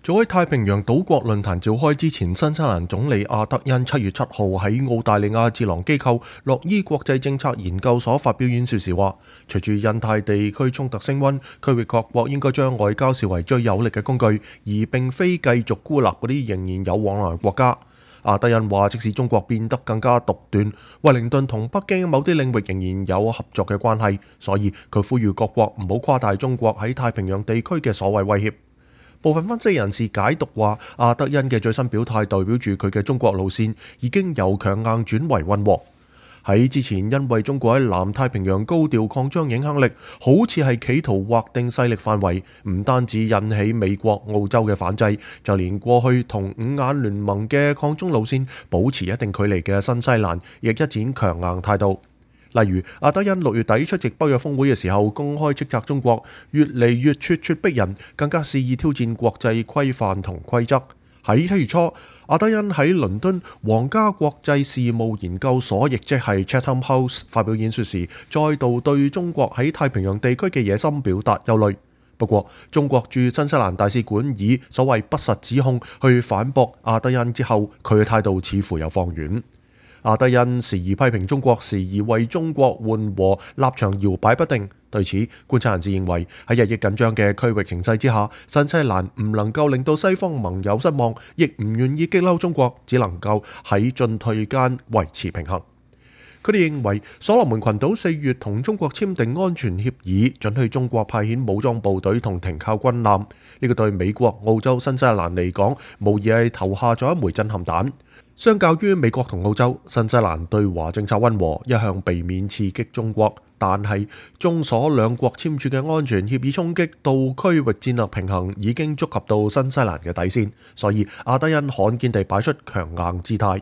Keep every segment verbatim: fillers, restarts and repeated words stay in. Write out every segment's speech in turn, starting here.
早喺太平洋島國論壇召開之前，新西蘭總理阿德恩七月七號喺澳大利亞智囊機構洛伊國際政策研究所發表演說時話，隨住印太地區衝突升溫，區域各國應該將外交視為最有力嘅工具，而並非繼續孤立嗰啲仍然有往來國家。阿德恩話，即使中國變得更加獨斷，惠靈頓同北京某啲領域仍然有合作嘅關係，所以佢呼籲各國唔好誇大中國喺太平洋地區嘅所謂威脅。部分分析人士解讀話，阿德恩嘅最新表態代表住佢嘅中國路線已經由強硬轉為溫和。喺之前，因為中國喺南太平洋高調擴張影響力，好似係企圖劃定勢力範圍，唔單止引起美國、澳洲嘅反制，就連過去同五眼聯盟嘅擴中路線保持一定距離嘅新西蘭，亦一展強硬態度。例如，阿德恩六月底出席北約峰會嘅時候，公開斥責中國越嚟越咄咄逼人，更加肆意挑戰國際規範同規則。喺七月初，阿德恩喺倫敦皇家國際事務研究所，亦即係 Chatham House 發表演說時，再度對中國喺太平洋地區嘅野心表達憂慮。不過，中國駐新西蘭大使館以所謂不實指控去反駁阿德恩之後，佢嘅態度似乎有放軟。阿德恩時而批評中國，時而為中國緩和，立場搖擺不定。對此，觀察人士認為喺日益緊張嘅區域形勢之下，新西蘭唔能夠令到西方盟友失望，亦唔願意激嬲中國，只能夠喺進退間維持平衡。佢哋認為，所羅門群島四月同中國簽訂安全協議，准許中國派遣武裝部隊同停靠軍艦。呢個對美國、澳洲、新西蘭嚟講，無疑係投下咗一枚震撼彈。相較於美國同澳洲，新西蘭對華政策溫和，一向避免刺激中國。但係，中所兩國簽署嘅安全協議衝擊到區域戰略平衡，已經觸及到新西蘭嘅底線，所以阿德恩罕見地擺出強硬姿態。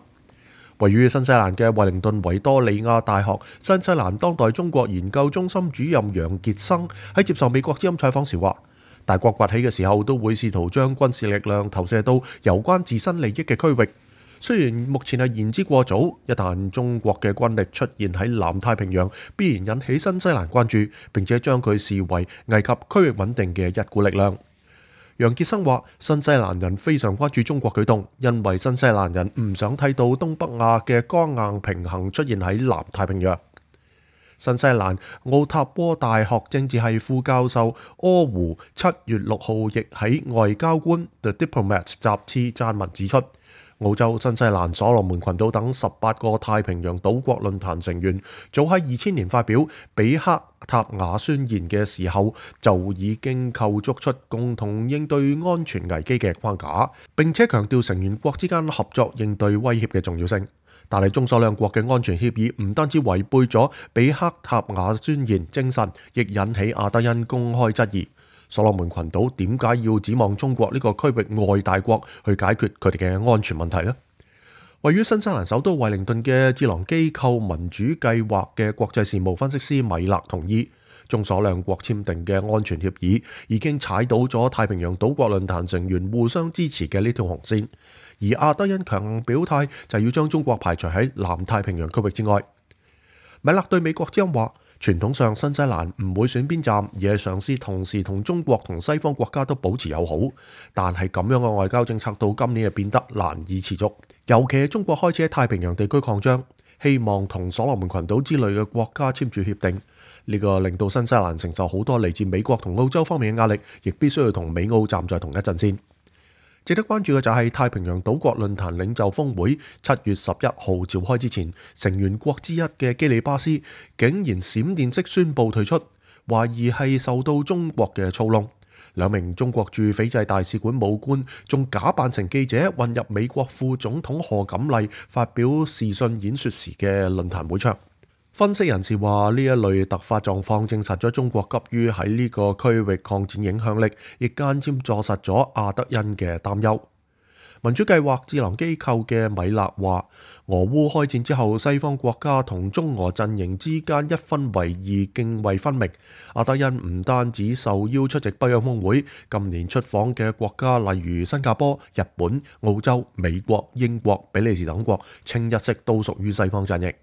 位於新西蘭嘅惠靈頓維多利亞大學新西蘭當代中國研究中心主任楊傑生喺接受美國之音採訪時話，大國崛起嘅時候都會試圖將軍事力量投射到有關自身利益嘅區域。雖然目前係言之過早，一旦中國嘅軍力出現喺南太平洋，必然引起新西蘭關注，並且將佢視為危及區域穩定嘅一股力量。楊傑生話，新西蘭人非常關注中國舉動，因為新西蘭人唔想睇到東北亞嘅剛硬平衡出現喺南太平洋。新西蘭奧塔波大學政治系副教授柯胡七月六號亦喺外交官 The Diplomat 雜誌撰文指出，澳洲、新西蘭、所羅門群島等十八個太平洋島國論壇成員，早喺二千年發表比克塔雅宣言嘅時候，就已經構築出共同應對安全危機嘅框架，並且強調成員國之間合作應對威脅嘅重要性。但係中所兩國嘅安全協議唔單止違背咗比克塔雅宣言精神，亦引起阿德恩公開質疑。所羅門群島點解要指望中國呢個區域外大國去解決佢哋嘅安全問題呢？位於新西蘭首都惠靈頓嘅智囊機構民主計劃嘅國際事務分析師米勒同意，中所兩國簽訂嘅安全協議已經踩到咗太平洋島國論壇成員互相支持嘅呢條紅線，而阿德恩強硬表態就要將中國排除喺南太平洋區域之外。米勒對美國之音話，傳統上新西蘭唔會選邊站，而係嘗試同時同中國同西方國家都保持友好。但係咁樣嘅外交政策到今年就變得難以持續，尤其係中國開始喺太平洋地區擴張，希望同所羅門群島之類嘅國家簽署協定。呢個令到新西蘭承受好多嚟自美國同澳洲方面嘅壓力，亦必須要同美澳站在同一陣線。值得關注嘅就係太平洋島國論壇領袖峰會七月十一號召開之前，成員國之一嘅基里巴斯竟然閃電式宣布退出，懷疑係受到中國嘅操弄。兩名中國駐斐濟大使館武官仲假扮成記者混入美國副總統賀錦麗發表視訊演說時嘅論壇會場。分析人士話，呢一類突發狀況證實咗中國急於喺呢個區域擴展影響力，亦間接坐實咗阿德恩嘅擔憂。民主計劃智囊機構嘅米勒話，俄烏開戰之後，西方國家同中俄陣營之間一分為二，涇渭分明。阿德恩唔單止受邀出席北約峰會，今年出訪嘅國家例如新加坡、日本、澳洲、美國、英國、比利時等國，清一色都屬於西方陣營。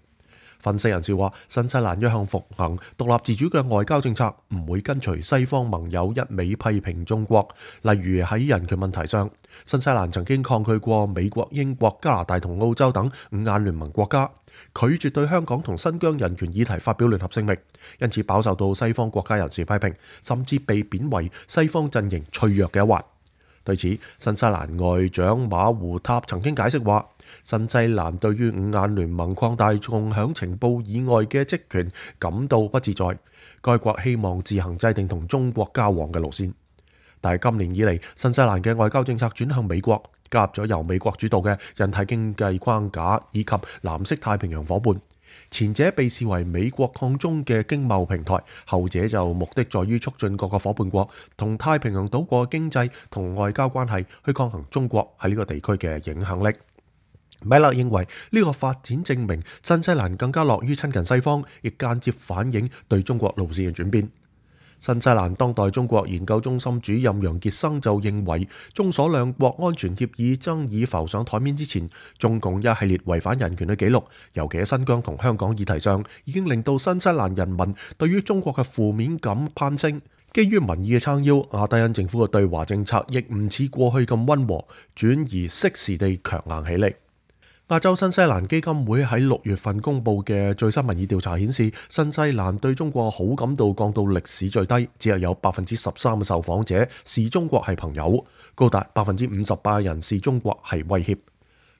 分析人士話，新西蘭一向奉行獨立自主嘅外交政策，唔會跟隨西方盟友一味批評中國。例如喺人權問題上，新西蘭曾經抗拒過美國、英國、加拿大同澳洲等五眼聯盟國家，拒絕對香港同新疆人權議題發表聯合聲明，因此飽受到西方國家人士批評，甚至被貶為西方陣營脆弱嘅一環。對此，新西蘭外長馬胡塔曾經解釋話，新西蘭對於五眼聯盟擴大共享情報以外嘅職權感到不自在。該國希望自行制定同中國交往嘅路線。但係今年以嚟，新西蘭嘅外交政策轉向美國，加入咗由美國主導嘅印太經濟框架以及藍色太平洋夥伴。前者被視為美國抗中嘅經貿平台，後者就目的在於促進各個夥伴國同太平洋島國經濟同外交關係，去抗衡中國喺呢個地區嘅影響力。米勒認為呢個發展證明新西蘭更加樂於親近西方，亦間接反映對中國路線嘅轉變。新西蘭當代中國研究中心主任楊傑生就認為，中所兩國安全協議爭議浮上台面之前，中共一系列違反人權嘅記錄，尤其喺新疆同香港議題上，已經令到新西蘭人民對於中國嘅負面感攀升。基於民意嘅撐腰，阿德恩政府嘅對華政策亦唔似過去咁溫和，轉而適時地強硬起嚟。亞洲新西蘭基金會喺六月份公布嘅最新民意調查顯示，新西蘭對中國好感度降到歷史最低，只係有百分之十三嘅受訪者視中國係朋友，高達百分之五十八人視中國係威脅。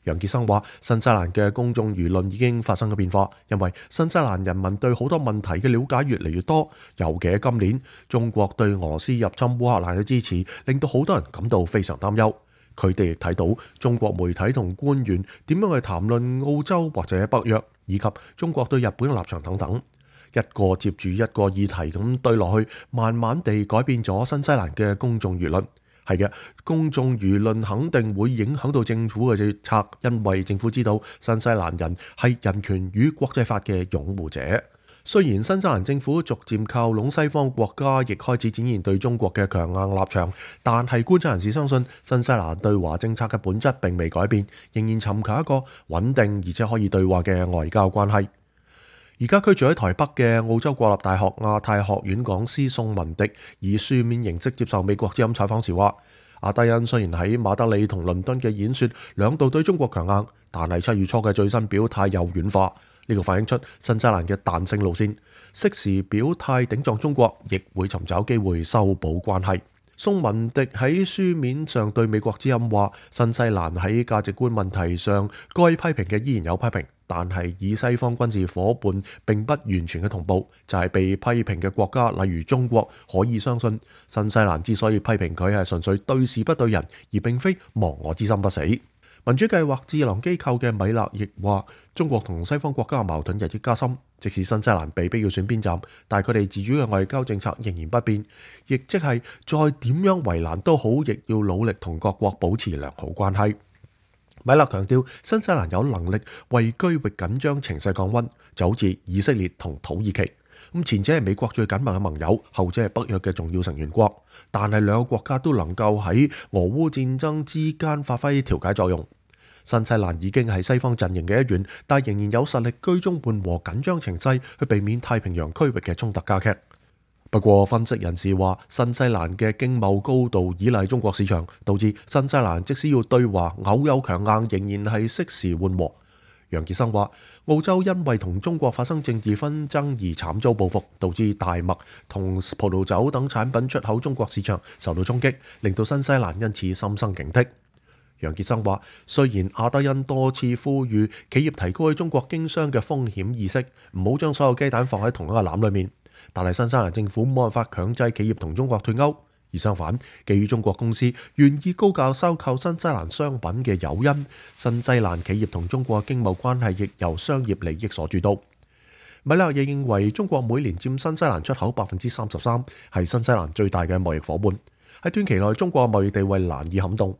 楊傑生話，新西蘭嘅公眾輿論已經發生咗變化，因為新西蘭人民對好多問題嘅了解越嚟越多，尤其係今年中國對俄羅斯入侵烏克蘭嘅支持，令到好多人感到非常擔憂。佢哋亦睇到中國媒體同官員點樣去談論澳洲或者北約，以及中國對日本嘅立場等等，一個接住一個議題咁對落去，慢慢地改變咗新西蘭嘅公眾輿論。係嘅，公眾輿論肯定會影響到政府嘅政策，因為政府知道新西蘭人係人權與國際法嘅擁護者。雖然新西蘭政府逐漸靠攏西方國家，亦開始展現對中國嘅強硬立場，但係觀察人士相信新西蘭對華政策嘅本質並未改變，仍然尋求一個穩定而且可以對話嘅外交關係。而家居住喺台北嘅澳洲國立大學亞太學院講師宋文迪以書面形式接受美國之音採訪時話，阿德恩雖然喺馬德里同倫敦嘅演說兩度對中國強硬，但係七月初嘅最新表態又軟化。呢個反映出新西蘭嘅彈性路線，適時表態頂撞中國，亦會尋找機會修補關係。宋文迪喺書面上對美國之音話，新西蘭喺價值觀問題上該批評嘅依然有批評，但係以西方軍事夥伴並不完全嘅同步，就係、是、被批評嘅國家，例如中國，可以相信新西蘭之所以批評佢係純粹對事不對人，而並非亡我之心不死。民主計劃智囊機構嘅米勒亦話，中國同西方國家嘅矛盾日益加深，即使新西蘭被逼要選邊站，但係佢哋自主嘅外交政策仍然不變，亦即係再點樣為難都好，亦要努力同各國保持良好關係。米勒強調，新西蘭有能力為區域緊張情勢降溫，就好似以色列同土耳其。咁前者係美國最緊密嘅盟友，後者係北約嘅重要成員國，但係兩個國家都能夠喺俄烏戰爭之間發揮調解作用。新西蘭已經係西方陣營嘅一員，但仍然有實力居中緩和緊張情勢，去避免太平洋區域嘅衝突加劇。不過，分析人士話，新西蘭嘅經貿高度依賴中國市場，導致新西蘭即使要對華偶有強硬，仍然係適時緩和。楊傑生話，澳洲因為同中國發生政治紛爭而慘遭報復，導致大麥同葡萄酒等產品出口中國市場受到衝擊，令到新西蘭因此心生警惕。楊傑生話，雖然阿德恩多次呼籲企業提高喺中國經商嘅風險意識，唔好將所有雞蛋放喺同一個籃裏面，但係新西蘭政府冇辦法強制企業同中國脫鈎，而相反，基於中國公司願意高價收購新西蘭商品嘅誘因，新西蘭企業同中國經貿關係亦由商業利益所主導。米勒亦認為，中國每年佔新西蘭出口百分之三十三，係新西蘭最大嘅貿易夥伴。喺短期內，中國嘅貿易地位難以撼動。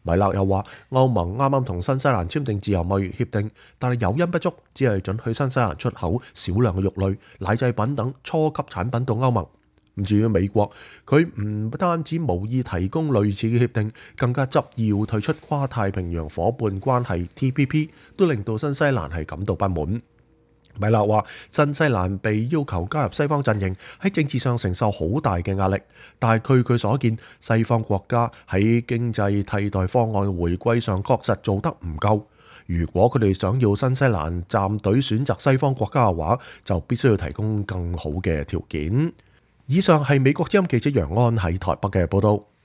米勒又話，歐盟啱啱同新西蘭簽訂自由貿易協定，但係誘因不足，只係准許新西蘭出口少量嘅肉類、奶製品等初級產品到歐盟。咁至於美國，佢唔單止無意提供類似嘅協定，更加執意要退出跨太平洋夥伴關係 T P P， 都令到新西蘭係感到不滿。米勒話：新西蘭被要求加入西方陣營，喺政治上承受好大嘅壓力。但係據佢所見，西方國家喺經濟替代方案回歸上確實做得唔夠。如果佢哋想要新西蘭站隊選擇西方國家嘅話，就必須要提供更好嘅條件。以上係美國之音記者楊安喺台北嘅報道。